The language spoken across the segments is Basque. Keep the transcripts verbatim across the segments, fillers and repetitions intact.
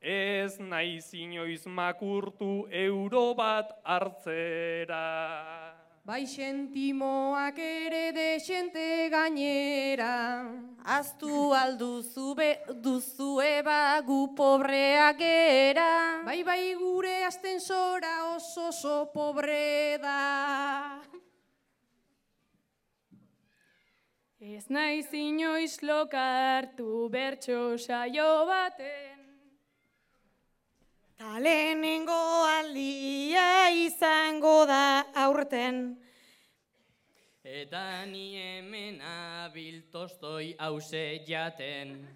ez naiz inoiz makurtu euro bat hartzera. Bai sentimoak ere desente gainera. Aztu alduzu duzue ba gu pobreak gera. Bai bai gure astensora oso oso pobre da. Ez naiz inoiz lokartu bertso saio baten. Ta lehenengo aldia izango da aurten. Eta ni hemen abil Tolstoi hause jaten.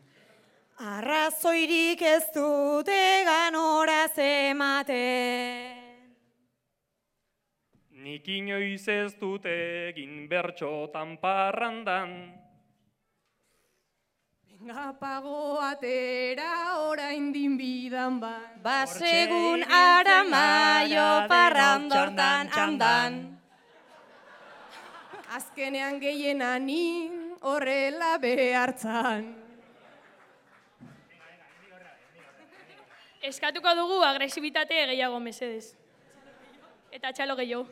Arrazoirik ez dute ganoraz ematen. Nik inoiz ez dut egin bertxotan parrandan. Venga pago atera orain din bidan ban. Basegun aramaio parrandortan andan. Azkenean gehienanin horrela behartzan. Eskatuko dugu agresibitate gehiago mesedez. Eta txalo gehiago.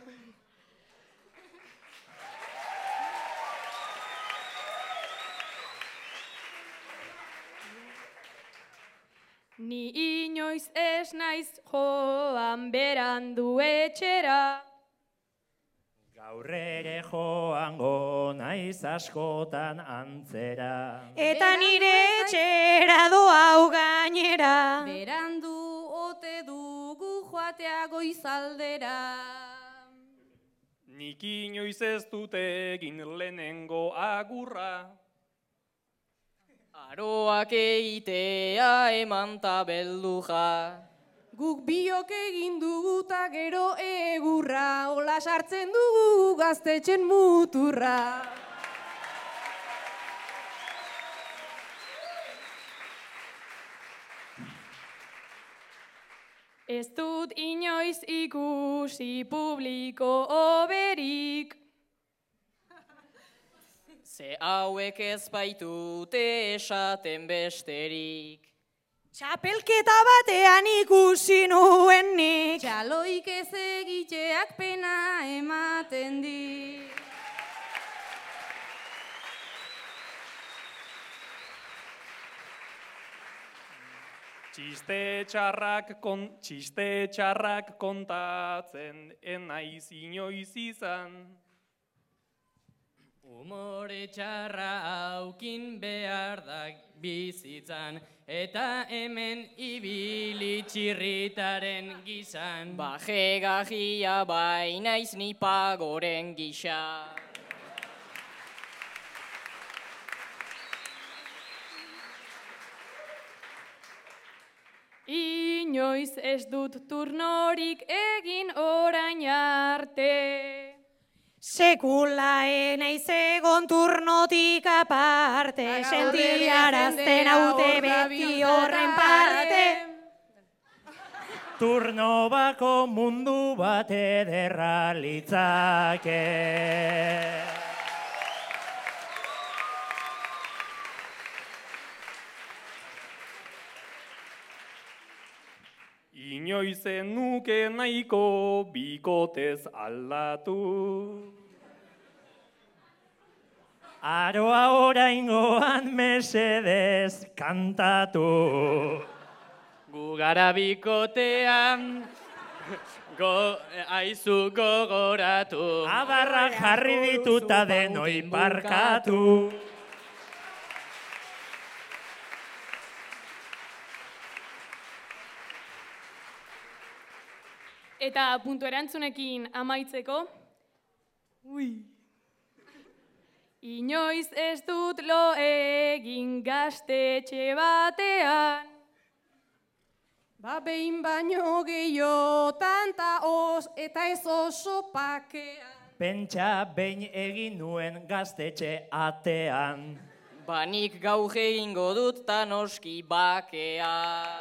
Ni inoiz ez naiz joan berandu etxera. Gaur ere joango naiz askotan antzera. Eta nire etxera doa gainera. Berandu ote dugu joatea goizaldera. Nik inoiz ez dut egin lehenengo agurra. Aroak eitea eman ta belduja. Guk biok egin dugu ta gero egurra, hola sartzen dugu gaztetxen muturra. Ez dut inoiz ikusi publiko oberik. Ze hauek ez baitute esaten besterik. Txapelketa batean ikusi nuen nik. Txaloik ez egiteak pena ematen di. Txiste txarrak, kon, txiste txarrak kontatzen enaiz inoiz izan. Umore txarra aukin behar da bizitzan, eta hemen ibili txirritaren gizan. Baje gajia bainaiz ni pagoren gisa. Inoiz ez dut turnorik egin orain arte. Sekula enaiz egon turnotik aparte, sentiarazten haute beti horren parte. Turno bako mundu bat ederra litzake. Inoiz nuke nahiko bikotez aldatu. Aroa oraingoan mesedez kantatu. Gu gara bikotean, go, aizu gogoratu. Abarrak jarri dituta denoi barkatu. Eta puntu erantzunekin amaitzeko. Ui. Inoiz ez dut lo egin gaztetxe batean. Ba behin baino gehiotan ta os eta ez oso pakean. Pentsa behin egin nuen gaztetxe atean. Banik gaur egingo dut ta noski bakea.